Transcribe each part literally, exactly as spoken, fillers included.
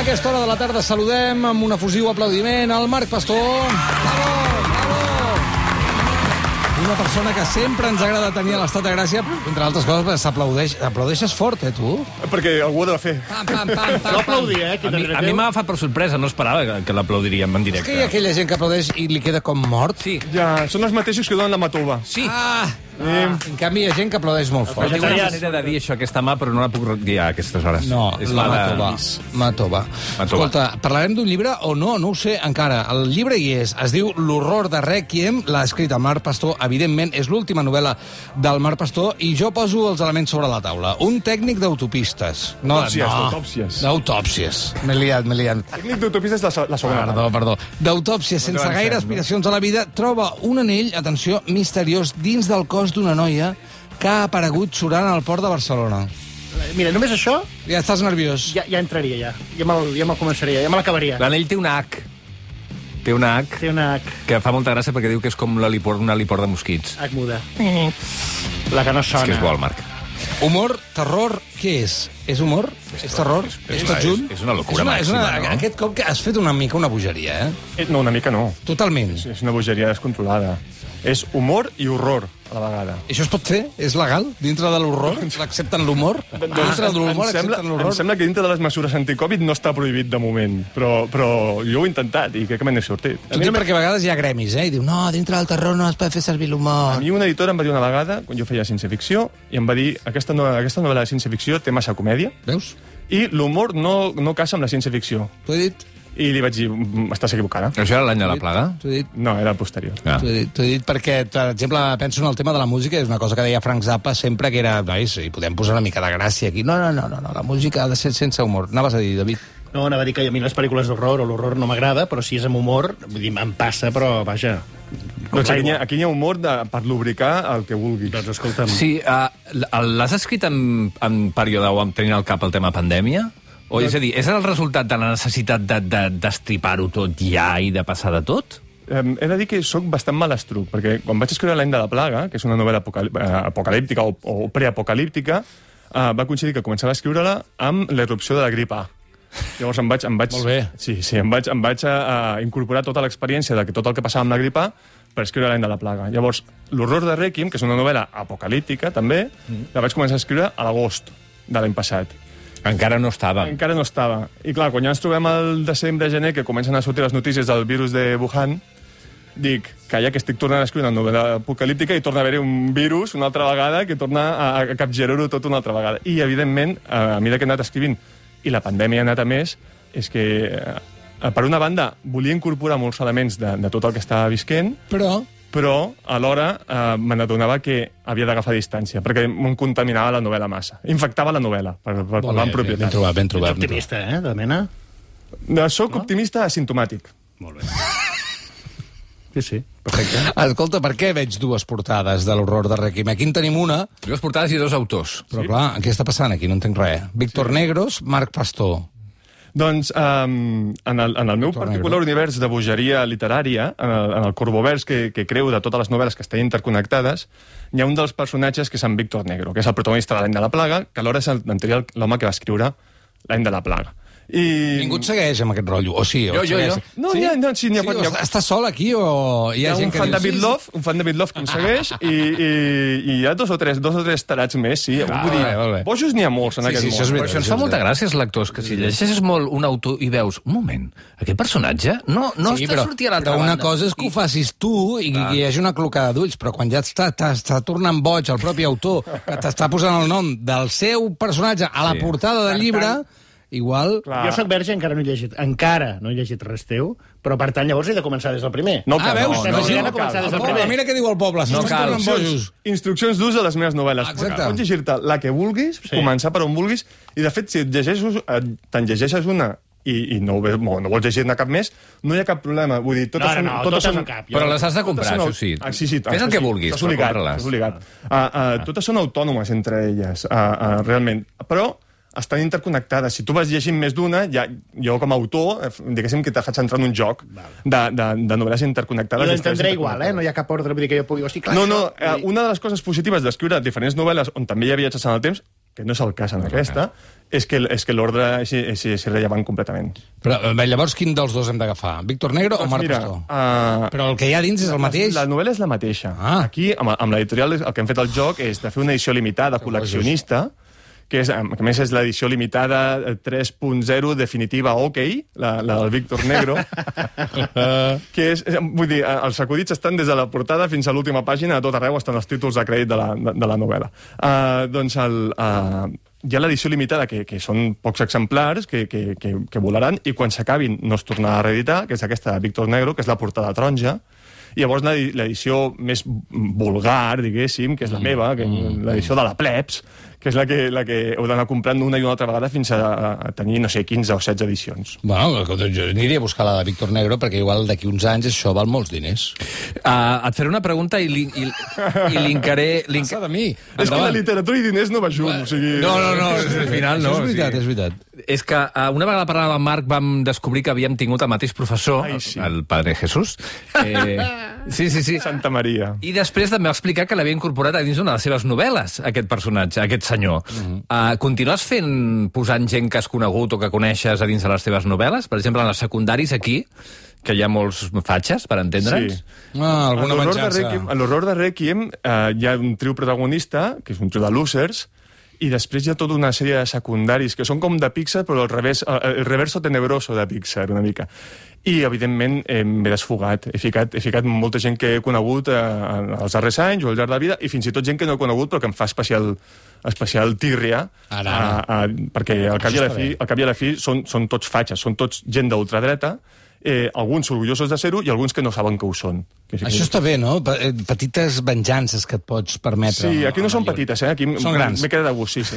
A aquesta hora de la tarda saludem amb un efusiu aplaudiment al Marc Pastor. Bravo, bravo. Una persona que sempre ens agrada tenir a l'Estat de Gràcia, entre altres coses, s'aplaudeix. Aplaudeixes fort, eh, tu? Perquè algú ho ha de fer. Pam, pam, pam, pam. No aplaudir, eh? A mi, a mi m'ha agafat per sorpresa, no esperava que, que l'aplaudiríem en És directe. que hi ha aquella gent que aplaudeix i li queda com mort. Sí. Ja, són els mateixos que donen la matova. Sí. Ah, ah. En canvi, hi ha gent que aplaudeix molt Però fort. tinc una manera de dir això, aquesta mà, però no la puc dir a aquestes hores. No, és la mà de- Matova. Matova. Matova. Escolta, parlarem d'un llibre o no? No ho sé encara. El llibre hi és. Es diu L'horror de Rèquiem. L'ha escrit el Marc Pastor. Evidentment, és l'última novel·la del Marc Pastor i jo poso els elements sobre la taula. Un tècnic d'autopistes. No, Autòpsies, no. d'autòpsies. D'autòpsies. M'he liat, m'he liat. Tècnic d'autopistes la, la segona. Perdó, perdó. D'autòpsies, sense avancem, gaire no? aspiracions a la vida, troba un anell, atenció, misteriós, dins del cos d'una noia que ha aparegut surant al port de Barcelona. Mira, només això Ja estàs nerviós. ja, ja entraria, ja. Ja me'l ja me començaria, ja me l'acabaria. L'anell té una H. Té una H Té una H, que fa molta gràcia perquè diu que és com l'heliport, un heliport de mosquits. H muda. La que no sona. És que és bo, el Marc. Humor, terror, què és? És humor? És terror? És tot junt? És una locura és una, és una, màxima, no? Aquest cop que has fet una mica una bogeria, eh? Eh, No, una mica no. Totalment. És, és una bogeria descontrolada. És humor i horror, a la vegada. Això es pot fer? És legal? Dintre de l'horror? Accepten l'humor? Dintre de l'humor em, sembla, accepten em l'horror? sembla que dintre de les mesures anticovid no està prohibit de moment, però, però jo ho he intentat i crec que me n'he sortit. T'ho dic perquè a vegades hi ha gremis, eh? I diu, no, dintre del terror no es pot fer servir A l'humor. mi un editor em va dir una vegada, quan jo feia ciència-ficció, i em va dir, aquesta, no, aquesta novel·la de ciència-ficció té massa comèdia Veus? i l'humor no, no casa amb la ciència-ficció. T'ho he dit? I li vaig dir, "Mm, estàs equivocada. Això era l'any de la plaga? T'ho he dit? No, era el posterior. Ah. T'ho he dit, t'ho he dit perquè, per exemple, penso en el tema de la música, és una cosa que deia Frank Zappa sempre, que era, nois, hi podem posar una mica de gràcia aquí. No, no, no, no, no, la música ha de ser sense humor. Anaves a dir, David? No, anava a dir que a mi les pel·lícules d'horror o l'horror no m'agrada, però si és amb humor, vull dir, em passa, però vaja... com Doncs aquí, hi ha, l'aigua. aquí hi ha humor de, per lubricar el que vulguis. Doncs escolta'm... Sí, uh, l'has escrit en, en període o en tenint al cap el tema pandèmia? O, és a dir, és el resultat de la necessitat de, de, destripar-ho tot ja i de passar de tot? Eh, he de dir que sóc bastant malastruc, perquè quan vaig escriure L'any de la plaga, que és una novel·la apocalí eh, apocalíptica o, o preapocalíptica, eh, va coincidir que començava a escriure-la amb l'erupció de la grip A. Llavors em vaig... Em vaig Molt bé. Sí, sí, em vaig, em vaig a, a incorporar tota l'experiència de que tot el que passava amb la grip A per escriure L'any de la plaga. Llavors, L'horror de Rèquiem, que és una novel·la apocalíptica, també, mm. la vaig començar a escriure a l'agost de l'any passat. Encara no estava. Encara no estava. I clar, quan ja ens trobem al desembre, gener, que comencen a sortir les notícies del virus de Wuhan, dic que ja que estic tornant a escriure una novel·la apocalíptica i torna a haver-hi un virus una altra vegada que torna a, a capgirar-ho tot una altra vegada. I, evidentment, a mesura que he anat escrivint, i la pandèmia ha anat a més, és que, eh, per una banda, volia incorporar molts elements de, de tot el que estava visquent, Però... però alhora eh, me n'adonava que havia d'agafar distància, perquè em contaminava la novel·la massa. Infectava la novel·la, per, per parlar amb ben propietat. trobat, ben Ets trobat. ben optimista, eh, de mena? No, soc no? optimista asimptomàtic. Molt bé. Sí, sí, perfecte. trobat. Escolta, per què veig dues portades de l'horror de Rèquiem? Aquí en tenim una, Dues portades i dos autors. però sí? clar, què està passant aquí? No entenc res. Víctor sí. Negros, Marc Pastor. Doncs um, en, el, en el meu Víctor particular Negro. univers de bogeria literària, en el, en el corbovers que, que creu de totes les novel·les que estan interconnectades, hi ha un dels personatges que és en Víctor Negro, que és el protagonista de L'any de la plaga, que alhora és el- l'anterior l'home que va escriure L'any de la plaga. I... Ningú et segueix amb aquest rotllo, o sí? O Jo, et jo, segueix? jo. No, n'hi ha- no, sí, n'hi ha- sí, n'hi ha- o Estàs sol aquí o hi Hi ha, ha gent un que fan diu... de sí, Bitlov, un fan de Bitlov que em segueix, i, i, i hi ha dos o tres, dos o tres tarats més, sí. Ah, Vull dir, molt bé, molt bé. bojos n'hi ha molts en Sí, aquest sí, món. això és Però veritat. això ens fa molta gràcia als lectors, que si llegeixes molt un autor i veus, un moment, aquest personatge no, no sí, està però, sortint a l'altra però una banda. cosa és que ho facis tu i que hi hagi una clocada d'ulls, però quan ja està, t'està tornant boig el propi autor, que t'està posant el nom del seu personatge a la Sí. portada del llibre, igual... Clar. Jo soc verge, encara no he llegit, encara no he llegit res teu, però per tant llavors he de començar des del primer. No Ah, cal, veus? no, Estem no, girant no a començar cal. des del El poble, primer. mira què diu el poble, No s'està cal. tornant bojos. Instruccions, instruccions d'ús de les meves novel·les. Exacte. Pots llegir-te la que vulguis, Sí. sí. començar per on vulguis, i de fet, si et llegeixes, eh, te'n llegeixes una i, i no, ho ve- no, no vols llegir-ne cap més, no hi ha cap problema. Vull dir, totes No, no, són, no, totes totes són, no cap. Però les has de comprar, totes són- això sí. Ah, sí, sí. Fes el això que sí, vulguis, estàs però obligat, compra-les. estàs obligat. Uh, uh, totes són autònomes entre elles, uh, uh, realment. Però estan interconnectades. Si tu vas llegint més d'una, ja, jo com a autor, eh, diguéssim que te faig entrar en un joc de, de, de novel·les interconnectades. I històries l'entendré igual, eh? interconnectades. No hi ha cap ordre, vull dir que jo pugui... Hosti, clar, No, no, això- eh, una de les coses positives d'escriure diferents novel·les on també hi ha viatges en el temps, que no és el cas en aquesta, és que, és que l'ordre és, és, és irrellevant completament. Però llavors quin dels dos hem d'agafar? Víctor Negro doncs o Marc mira, Pastor? Uh, Però el que hi ha dins és el mateix? La, la novel·la és la mateixa. Ah. Aquí, amb, amb l'editorial, el que hem fet el joc és de fer una edició limitada, col·leccionista, que, és, que a més és l'edició limitada tres punt zero definitiva OK, la, la del Víctor Negro, que és, vull dir, els acudits estan des de la portada fins a l'última pàgina, a tot arreu estan els títols de crèdit de la, de, de la novel·la. Uh, doncs el... Uh, hi ha l'edició limitada, que, que són pocs exemplars, que, que, que, que volaran, i quan s'acabin no es tornarà a reeditar, que és aquesta de Víctor Negro, que és la portada taronja, i llavors l'edició més vulgar, diguéssim, que és la meva, que l'edició de la plebs, que és la que, la que heu d'anar comprant una i una altra vegada fins a, a tenir, no sé, quinze o setze edicions. Bueno, jo aniria a buscar la de Víctor Negro, perquè igual d'aquí uns anys això val molts diners. Uh, et faré una pregunta i, li, i, i linkaré... Link... Passa de mi. És que la literatura i diners no va junt, o sigui... No, no, no, al final no. Això és veritat, o sigui... és veritat. És que uh, una vegada parlant amb Marc vam descobrir que havíem tingut el mateix professor, Ai, sí. el Padre Jesús. Eh, sí, sí, sí. Santa Maria. I després també va explicar que l'havia incorporat a dins d'una de les seves novel·les, aquest personatge, aquest senyor. Uh-huh. uh, continues fent, posant gent que has conegut o que coneixes a dins de les teves novel·les? Per exemple, en els secundaris aquí, que hi ha molts fatxes, per entendre'ns? Sí. Ah, alguna En l'horror de menjança. Requiem, en l'horror de Requiem eh, hi ha un trio protagonista, que és un trio de losers, i després hi ha tota una sèrie de secundaris que són com de Pixar, però al revés, el reverso tenebroso de Pixar, una mica. I, evidentment, eh, m'he desfogat. He ficat, he ficat molta gent que he conegut eh, als darrers anys o al llarg de la vida, i fins i tot gent que no he conegut, però que em fa especial, especial tírria, Ara. a, a, perquè al cap i a la fi, al cap i a la fi són, són tots fatxes, són tots gent d'ultradreta, eh, alguns orgullosos de ser-ho i alguns que no saben que ho són. Que sí que... Això està bé, no? Petites venjances que et pots permetre. Sí, aquí no són petites, eh? Aquí són grans. m'he quedat a gust, sí, sí.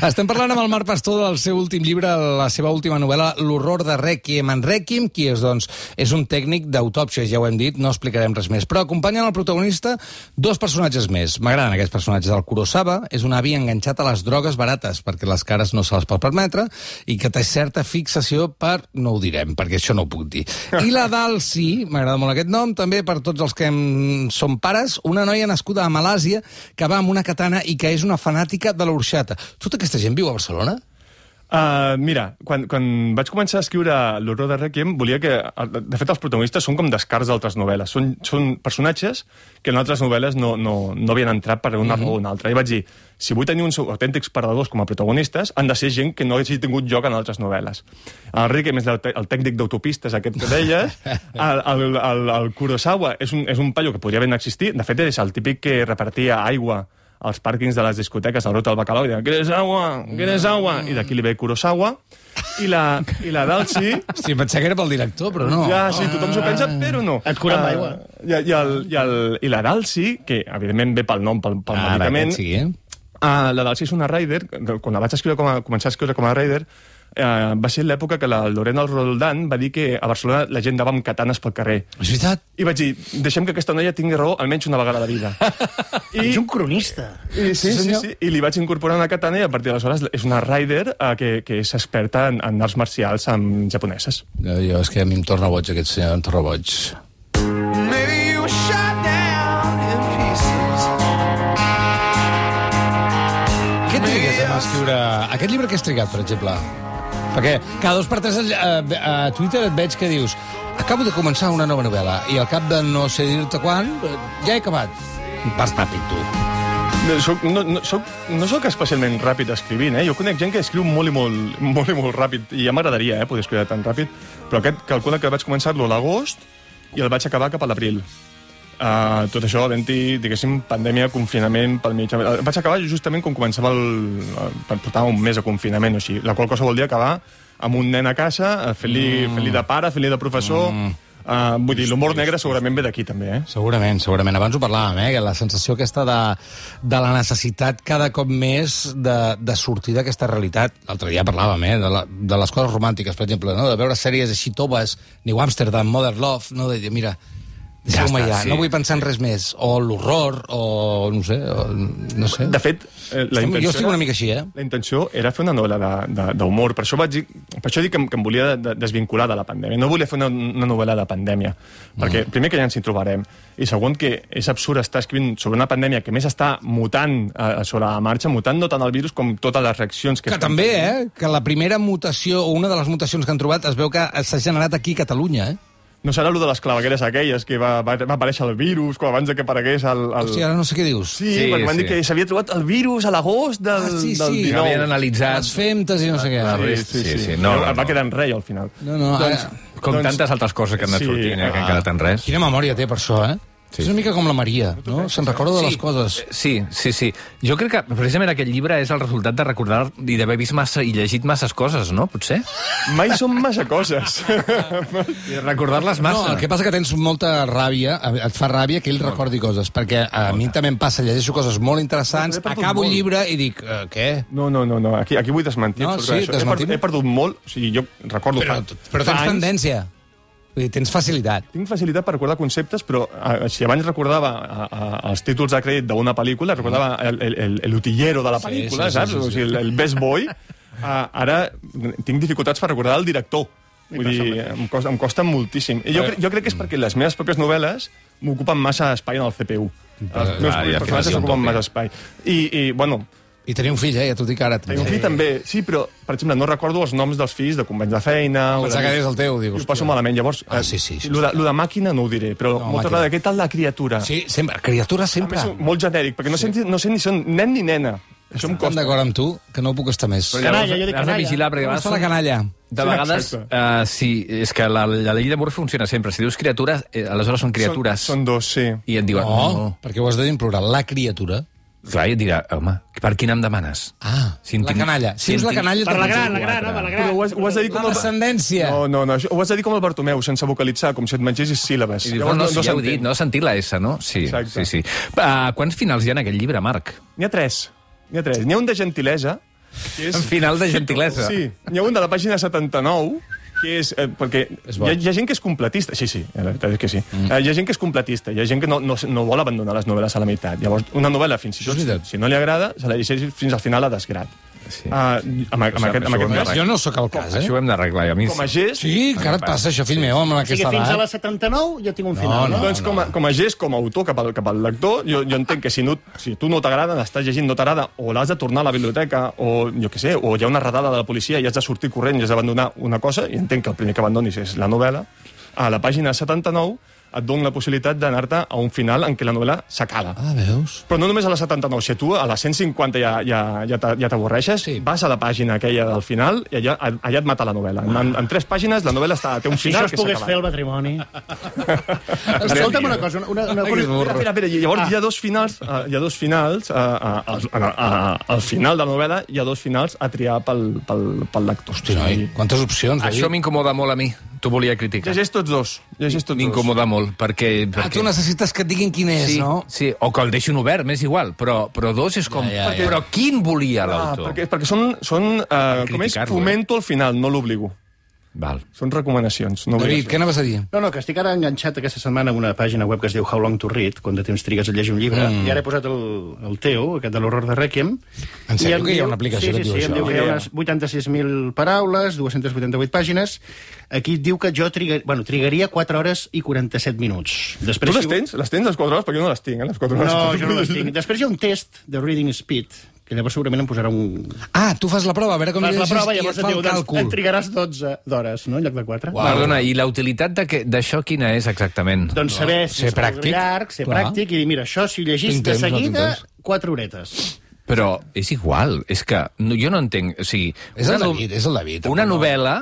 Estem parlant amb el Marc Pastor del seu últim llibre, la seva última novel·la, L'horror de Requiem. En Requiem, qui és, doncs? És un tècnic d'autòpsia, ja ho hem dit, no explicarem res més. Però acompanyen el protagonista dos personatges més. M'agraden aquests personatges. El Kurosawa és un avi enganxat a les drogues barates, perquè les cares no se les pot permetre, i que té certa fixació per... no ho direm, perquè això no ho puc dir. I la Dalsi, m'agrada molt aquest nom, també per tots els que en som pares, una noia nascuda a Malàsia que va amb una katana i que és una fanàtica de l'orxata. Tota aquesta gent viu a Barcelona? Uh, mira, quan, quan vaig començar a escriure l'horror de Requiem, volia que... De fet, els protagonistes són com descarts d'altres novel·les. Són, són personatges que en altres novel·les no, no, no havien entrat per una raó o una altra. I vaig dir, si vull tenir uns autèntics perdedors com a protagonistes, han de ser gent que no hagi tingut lloc en altres novel·les. El Requiem és el, el tècnic d'autopistes, aquest que deies. El, el, el, el Kurosawa és un, és un paio que podria ben existir. De fet, és el típic que repartia aigua als pàrquings de les discoteques, al Rota del Bacalao, i deia, ¿quieres agua? ¿Quieres agua? I d'aquí li ve Kurosawa. I la, i la Dalsi... Hosti, pensava que era pel director, però no. Ja, sí, tothom s'ho pensa, però no. Et cura amb aigua. Uh, i, i, el, i, el, I la Dalsi, que evidentment ve pel nom, pel, pel Ara, medicament... sí, eh? Uh, la Dalsi és una rider, quan la vaig escriure com a, començar a escriure com a rider, uh, va ser l'època que la Lorena Roldán va dir que a Barcelona la gent anava amb katanes pel carrer. És veritat? I vaig dir, deixem que aquesta noia tingui raó almenys una vegada a la vida. I, És un cronista. I, sí, sí, sí, i li vaig incorporar una katana i a partir d'aleshores és una rider uh, que, que és experta en, en arts marcials amb japoneses. Jo, jo, és que a mi em torna boig aquest senyor, em torna boig. Maybe you were shot down in pieces. Què trigues a escriure... Aquest llibre que has trigat, per exemple? Perquè cada dos per tres a, a Twitter et veig que dius acabo de començar una nova novel·la i al cap de no sé dir-te quan ja he acabat. Vas ràpid, tu. No, soc, no, no, soc, no soc especialment ràpid escrivint, eh? Jo conec gent que escriu molt i molt, molt, i molt ràpid, i ja m'agradaria eh, poder escriure tan ràpid, però aquest calcula que vaig començar-lo a l'agost i el vaig acabar cap a l'abril. Uh, tot això havent-hi, diguéssim, pandèmia, confinament pel mig. El vaig acabar justament quan començava el... el portava un mes de confinament o així, la qual cosa vol dir acabar amb un nen a casa, fent-li mm. fent de pare, fent-li de professor... Mm. Uh, vull dir, l'humor negre segurament ve d'aquí, també, eh? Segurament, segurament. Abans ho parlàvem, eh? La sensació aquesta de, de la necessitat cada cop més de, de sortir d'aquesta realitat. L'altre dia parlàvem, eh? De, la, de les coses romàntiques, per exemple, no? De veure sèries així toves, New Amsterdam, Modern Love, no? De dir, mira, Deixeu-me Ja està, ja, sí. no vull pensar en res més. O l'horror, o no sé, o, no sé. De fet, eh, la Estem, intenció... jo estic era- una mica així, eh? La intenció era fer una novel·la de- de- d'humor. Per això vaig dir, per això dic que, em- que em volia de, de, desvincular de la pandèmia. No volia fer una, una novel·la de pandèmia. Perquè, Mm. primer, que ja ens hi trobarem. I segon, que és absurd estar escrivint sobre una pandèmia que més està mutant eh, sobre la marxa, mutant no tant el virus com totes les reaccions que... Que estan també, tenint. eh? Que la primera mutació, o una de les mutacions que han trobat, es veu que s'ha generat aquí a Catalunya, eh? No serà allò de les clavegueres aquelles, que va, va, va aparèixer el virus quan abans de que aparegués el... el... Hòstia, ara no sé què dius. Sí, Sí, perquè van sí. dir que s'havia trobat el virus a l'agost del, Ah, sí, del sí. Que dinou. havien analitzat... Les femtes i no sé què. La Sí, resta, sí, sí. sí, sí. No, no, va no. quedar en rei, al final. No, no, doncs, ara- Com doncs, tantes altres coses que han anat sí, sortint, eh, que han ah. quedat en res. Quina memòria té per això, eh? Sí. És una mica com la Maria, no? Se'n recorda de les coses. Sí, sí, sí. Jo crec que precisament aquest llibre és el resultat de recordar i d'haver vist massa i llegit masses coses, no? Potser? Mai són massa coses. I recordar-les No, massa. el que passa que tens molta ràbia, et fa ràbia que ell recordi coses, perquè a mi també em passa, llegeixo coses molt interessants, Però he perdut acabo el molt. llibre i dic, eh, què? No, no, no, no. Aquí, aquí vull desmentir. No, tot sí, això. He desmentim. perdut, he perdut molt, o sigui, jo recordo Però, fa, però fa tens anys, tendència. Vull dir, tens facilitat. Tinc facilitat per recordar conceptes, però eh, si abans recordava a, a, els títols de crèdit d'una pel·lícula, recordava el, el, el, el utillero de la Sí, pel·lícula, sí, sí, saps? sí, sí. O sigui, el, el best boy. Uh, ara tinc dificultats per recordar el director. Vull dir, em costa, em costa moltíssim. I jo, cre- jo crec que és perquè les meves pròpies novel·les m'ocupen massa espai en el C P U. Els meus Ah, ja, personatges clar, ocupen sí, massa espai. I, i bueno, I tenia un fill, eh? Ja t'ho dic ara. Tinc un fill també, sí, però, per exemple, no recordo els noms dels fills de companys de feina... o Pensava de- que deies el teu, dic, I ho hòstia. passo malament, llavors... Ah, eh, sí, sí, sí. Lo de, lo de màquina no ho diré, però No, no, molta màquina. vegada, què tal la criatura? Sí, sempre. Criatura A sempre. més, molt genèric, perquè no, sí. sé, no sé ni si són nen ni nena. Això em Estan costa. d'acord amb tu, que no puc estar més. Però Canalla, llavors jo dic has de canalla. vigilar, perquè a Com vegades està la són- canalla? De Sí, vegades, exacte. uh, sí, és que la, la llei de Murphy funciona sempre. Si dius criatures, eh, aleshores són criatures. Són, són dos, sí. I et diuen, No, no. perquè ho has de dir en plural. La criatura. Clar, i et dirà, home, per quin em demanes? Ah, Si en la tinc- canalla. si Si en és la tinc- canalla... Per la te'n gran, la dic gran, quatre. home, la Però gran. ho has, ho has de dir com La el... descendència. No, no, no, això, ho has de dir com el Bartomeu, sense vocalitzar, com si et mengessis síl·labes. I dius, no, no, si ja heu s'entén. dit, no has sentit la S, no? Sí, Exacte. sí, sí. Uh, quants finals hi ha en aquest llibre, Marc? N'hi ha tres. N'hi ha tres. N'hi ha un de gentilesa, que és... En final de gentilesa. Sí, n'hi ha un de la pàgina setanta-nou, que és... Eh, perquè És hi bo. ha, hi ha gent que és completista. Sí, sí, la veritat és que sí. Mm. Eh, hi ha gent que és completista, hi ha gent que no, no, no vol abandonar les novel·les a la meitat. Llavors, una novel·la, fins i Això tot, és veritat. si no li agrada, se la llegeix fins al final a desgrat. Sí. Uh, amb, amb, Això- aquest, amb això ho hem aquest de cas, Jo no sóc el cas, eh? Això ho hem d'arreglar. i A mi... com a gest, Sí, encara et passa això, fill meu, amb O sigui, aquesta fins a edat. la setanta-nou jo tinc un final, no? no. doncs com a, com a gest, com a autor cap al, cap al lector, jo, jo entenc que si, no, si tu no t'agrada, l'estàs llegint, no t'agrada, o l'has de tornar a la biblioteca, o jo què sé, o hi ha una redada de la policia i has de sortir corrent i has d'abandonar una cosa, i entenc que el primer que abandonis és la novel·la, a la pàgina setanta-nou et dona la possibilitat d'anar-te a un final en què la novel·la s'acaba. Ah, veus? Però no només a la setanta-nou, si tu a la cent cinquanta ja, ja, ja t'a- ja t'avorreixes, Sí. sí. vas a la pàgina aquella del final i allà, allà et mata la novel·la. En, en tres pàgines la novel·la està, té un Si final això es que s'ha pogués acabat. fer el matrimoni... Escolta'm una cosa, una, una, una, Que és burro. Espera, espera, i llavors ah. hi ha dos finals, uh, hi ha dos finals uh, uh, al, uh, uh, al final de la novel·la hi ha dos finals a triar pel, pel, pel lector. Hosti, noi, quantes opcions, Això David. m'incomoda molt a mi. T'ho volia criticar. Llegeix tots dos. Llegeix tots dos. M'incomoda molt, perquè... Ah, perquè... tu necessites que et diguin quin és, Sí, no? sí, o que el deixin obert, m'és igual, però, però dos és com... Ja, ja, ja. Però quin volia Ah, l'autor? perquè, perquè són, són uh, com és, criticar-lo, fomento al final, no l'obligo. Val. Són recomanacions, no David, obligacions. què anaves a dir? No, no, que estic ara enganxat aquesta setmana amb una pàgina web que es diu How Long to Read, quan de temps trigues a llegir un llibre, mm. i ara he posat el, el teu, aquest de l'horror de Requiem. En sèrio i em que hi ha diu- una aplicació sí, que et sí, diu sí, em això? diu que hi ha Idea. unes vuitanta-sis mil paraules, dues-centes vuitanta-vuit pàgines. Aquí et diu que jo trigar, bueno, trigaria quatre hores i quaranta-set minuts. Tu Després, les tens? Les tens les quatre hores? Perquè jo no les tinc, eh, les quatre hores. No, jo no les tinc. Després hi ha un test de reading speed, que llavors segurament em posarà un... Ah, tu fas la prova, a veure com Fas la llegis prova i i llavors et et fa diu, el doncs, càlcul. en trigaràs dotze d'hores, no?, en lloc de quatre. Uau. Perdona, i la utilitat de que- d'això quina és exactament? Doncs saber si Ser és pràctic. llarg, ser Clar. pràctic, i dir, mira, això si ho llegís Tinc de temps, no tinc seguida, temps. quatre horetes. Però és igual, és que no, jo no entenc... O sigui, És el una no- David, és el David. Una no. novel·la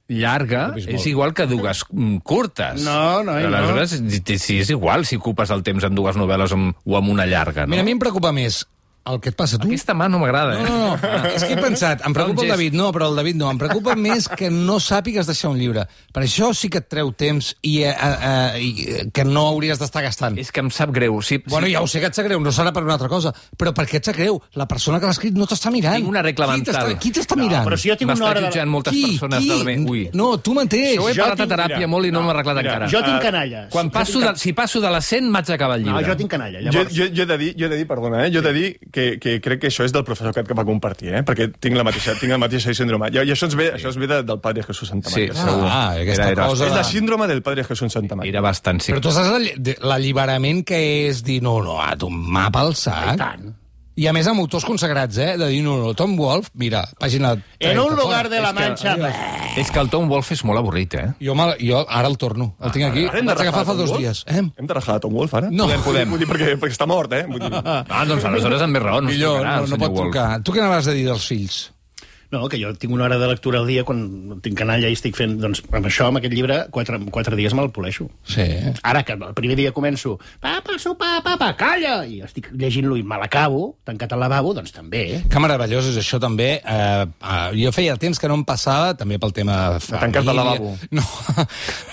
llarga No, no, és igual que dues mm, curtes. No, no, no. Aleshores, si- si és igual si ocupes el temps en dues novel·les amb, o amb una llarga, no? Mira, a mi em preocupa més El que et passa a tu? Aquesta mà no m'agrada, eh? No, no, no. És que he pensat, em preocupa el gest. David, no, però el David no. Em preocupa més que no sàpigues deixar un llibre. Per això sí que et treu temps i, eh, eh, i que no hauries d'estar gastant. És que em sap greu. Si, Bueno, si... ja ho sé que et sap greu, no serà per una altra cosa, però per què et sap greu? La persona que l'ha escrit no t'està mirant. Tinc una regla Qui t'està- mental. Qui t'està mirant? Però si jo tinc una M'està hora de... jutjant moltes persones del meu... Ui. No, tu mateix. Això ho he Jo parlat a tinc- teràpia mira, molt i no, m'ha arreglat mira, encara. Jo tinc Ah, canalla. Quan Jo passo tinc de, si passo de les cent, m'haig d'acabar el No, llibre. jo tinc canalla. Jo, Llavors... jo, jo, he de dir, jo he de dir, perdona, eh? jo he de dir que, que crec que això és del professor que, que va compartir, eh? perquè tinc la mateixa, tinc la mateixa síndrome. I, i això, ens ve, això es ve de, del Padre Jesús Santamaria, Sí. segur. Ah, aquesta Era- era- cosa... És de- la síndrome del Padre Jesús Santamaria. Era bastant, sí. Però tu saps l'alli- de- l'alliberament que és dir, no, no, a tu mapa al sac. I tant. I a més amb autors consagrats, eh? De dir, no, no, Tom Wolfe, mira, pàgina trenta. En un fora. lugar de la És que- Mancha... És que el Tom Wolfe és molt avorrit, eh? Jo, me, jo ara el torno, el tinc aquí. Ara hem El de vaig agafar rajar fa Tom dos Wolfe? dies. Eh? Hem de rajar a Tom Wolfe, ara? No. Podem, podem. Vull dir, perquè, perquè està mort, eh? Vull dir... Ah, doncs aleshores amb més raó no es Millor, trucarà, no, el no senyor pot Wolfe. trucar. Tu què anaves a dir dels fills? No, que jo tinc una hora de lectura al dia quan tinc canalla i estic fent... Doncs amb això, amb aquest llibre, quatre, quatre dies me'l poleixo. Sí. Ara que el primer dia començo... Papa, sopar, papa, calla! I estic llegint-lo i me l'acabo, tancat al lavabo, doncs també, eh? Que meravellós és això, també. Eh, eh, jo feia temps que no em passava, també pel tema de tancar-te al lavabo. No,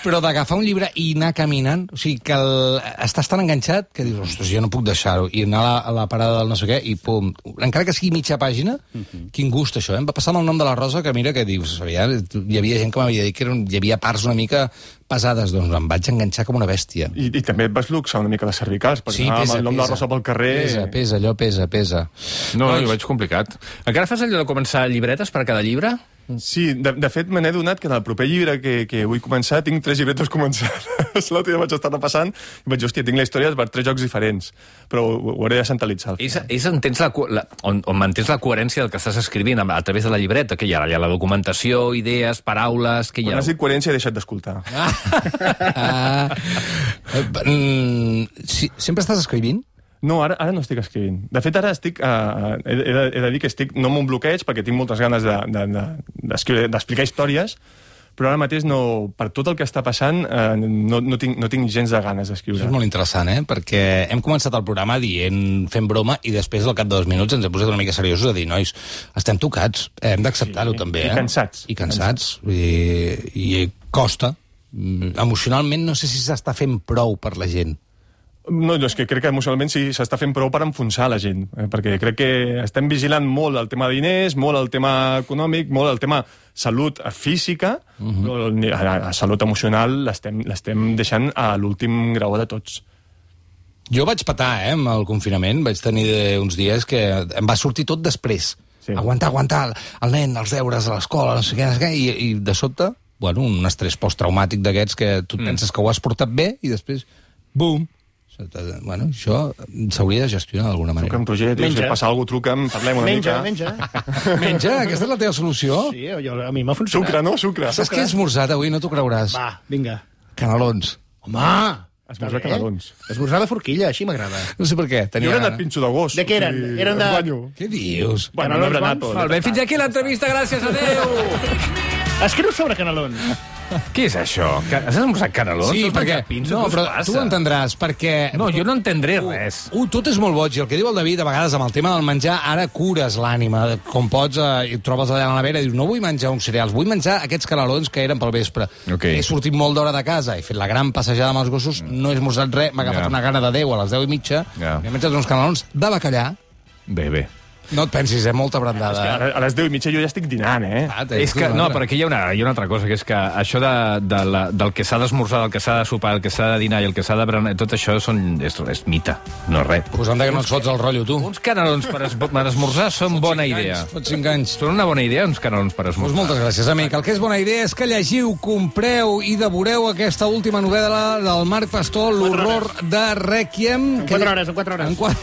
però d'agafar un llibre i anar caminant. O sigui, que el, estàs tan enganxat que dius, ostres, jo no puc deixar-ho. I anar a la, a la parada del no sé què, i pum. Encara que sigui mitja pàgina, uh-huh. Quin gust, això, eh? Em va passar amb el nom de la Rosa, que mira que dius, hi havia gent que m'havia dit que eren, hi havia parts una mica pesades, doncs em vaig enganxar com una bèstia. I, I també et vas luxar una mica les cervicals, perquè Sí, anar pesa, amb el nom de la pesa. Rosa pel carrer... Pesa, pesa, allò pesa, pesa. No, no, jo veig complicat. Encara fas allò de començar llibretes per cada llibre? Sí, de, de fet me n'he donat que en el proper llibre que, que vull començar tinc tres llibretes començades. L'altre dia vaig estar repassant i vaig dir, hòstia, tinc la història per tres jocs diferents, però ho, ho hauré de centralitzar. És, és on, tens la, co- la, on, on mantens la coherència del que estàs escrivint a, a través de la llibreta, que hi ha, hi ha la documentació, idees, paraules... Que hi Quan ha... has dit coherència he deixat d'escoltar. Ah, eh, mm, sí, sempre estàs escrivint? No, ara, ara no estic escrivint. De fet, ara estic... Uh, he, he, de, he de dir que estic no amb un bloqueig, perquè tinc moltes ganes d'explicar de, de, de, d'explicar històries, però ara mateix, no, per tot el que està passant, uh, no, no, tinc, no tinc gens de ganes d'escriure. Això és molt interessant, eh? Perquè hem començat el programa dient, fent broma, i després, al cap de dos minuts, ens hem posat una mica seriosos a dir, nois, estem tocats, hem d'acceptar-ho Sí, també, i eh? cansats. I cansats. I, i costa. Mm, Emocionalment no sé si s'està fent prou per la gent. No, no, és que crec que emocionalment sí s'està fent prou per enfonsar la gent, eh? Perquè crec que estem vigilant molt el tema de diners, molt el tema econòmic, molt el tema salut física, uh -huh. però la, la salut emocional l'estem l'estem deixant a l'últim grau de tots. Jo vaig patar, eh, amb el confinament. Vaig tenir uns dies que em va sortir tot després. Sí. Aguantar, aguantar, el nen, els deures a l'escola, no sé què, no sé què, i, i de sobte, bueno, un estrès posttraumàtic d'aquests que tu mm. penses que ho has portat bé i després, bum! Bueno, això s'hauria de gestionar d'alguna manera. Truca'm, Roger, dius, Menja. si passa alguna cosa, truca'm, parlem una Menja, mica. menja. Menja, aquesta és la teva solució? Sí, jo, a mi m'ha funcionat. Sucre, no? Sucre. Saps què he esmorzat avui? No t'ho creuràs. Va, vinga. Canelons. Home! Esmorzar està bé. canelons. Esmorzar de forquilla, així m'agrada. No sé per què. Jo Tenia he anat gana. pinxo de gos. De què eren? O sigui, Eren de- em guanyo. Què dius? Bueno, Canelons no bons? bons? Molt bé, fins aquí l'entrevista, gràcies, adeu! Escriu sobre canelons. Què és això? Que- Has esmorzat canelons? Sí, Has perquè... menjat pinso? No, Què us però passa? tu ho entendràs, perquè... No, jo no entendré res. Uh, tot és molt boig, i el que diu el David, a vegades amb el tema del menjar, ara cures l'ànima. Com pots, eh, i et trobes allà a la nevera i dius, no vull menjar uns cereals, vull menjar aquests canelons que eren pel vespre. Ok. He sortit molt d'hora de casa, he fet la gran passejada amb els gossos, no he esmorzat res, m'ha agafat Ja. una gana de deu a les deu i mitja, Ja. he menjat uns canelons de bacallà. Bé, bé. No et pensis, eh? Molta És que brandada. ara, a les deu i mitja jo ja estic dinant, eh? Ah, t'he És dit que, una no, altra. però aquí hi ha una, hi ha una altra cosa, que és que això de, de la, del que s'ha d'esmorzar, del que s'ha de sopar, el que s'ha de dinar i el que s'ha de berenar, tot això són, és, és mite, no és res. Pues anda que no et fots el rotllo, tu. Uns canelons per, es, per esmorzar són bona idea. Fots cinc anys. Són una bona idea, uns canelons per Doncs esmorzar. moltes gràcies, amic. El que és bona idea és que llegiu, compreu i devoreu aquesta última novel·la del Marc Pastor, L'horror de Requiem. En quatre hores, en quatre hores. En quatre...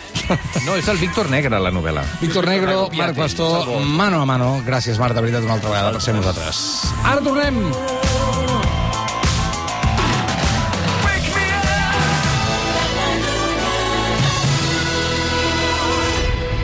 No, és el Víctor Negre, la novel·la. Víctor Negro, Marc Pastor, mano a mano. Gràcies, Marc, de veritat, una altra vegada per ser amb nosaltres. Ara tornem!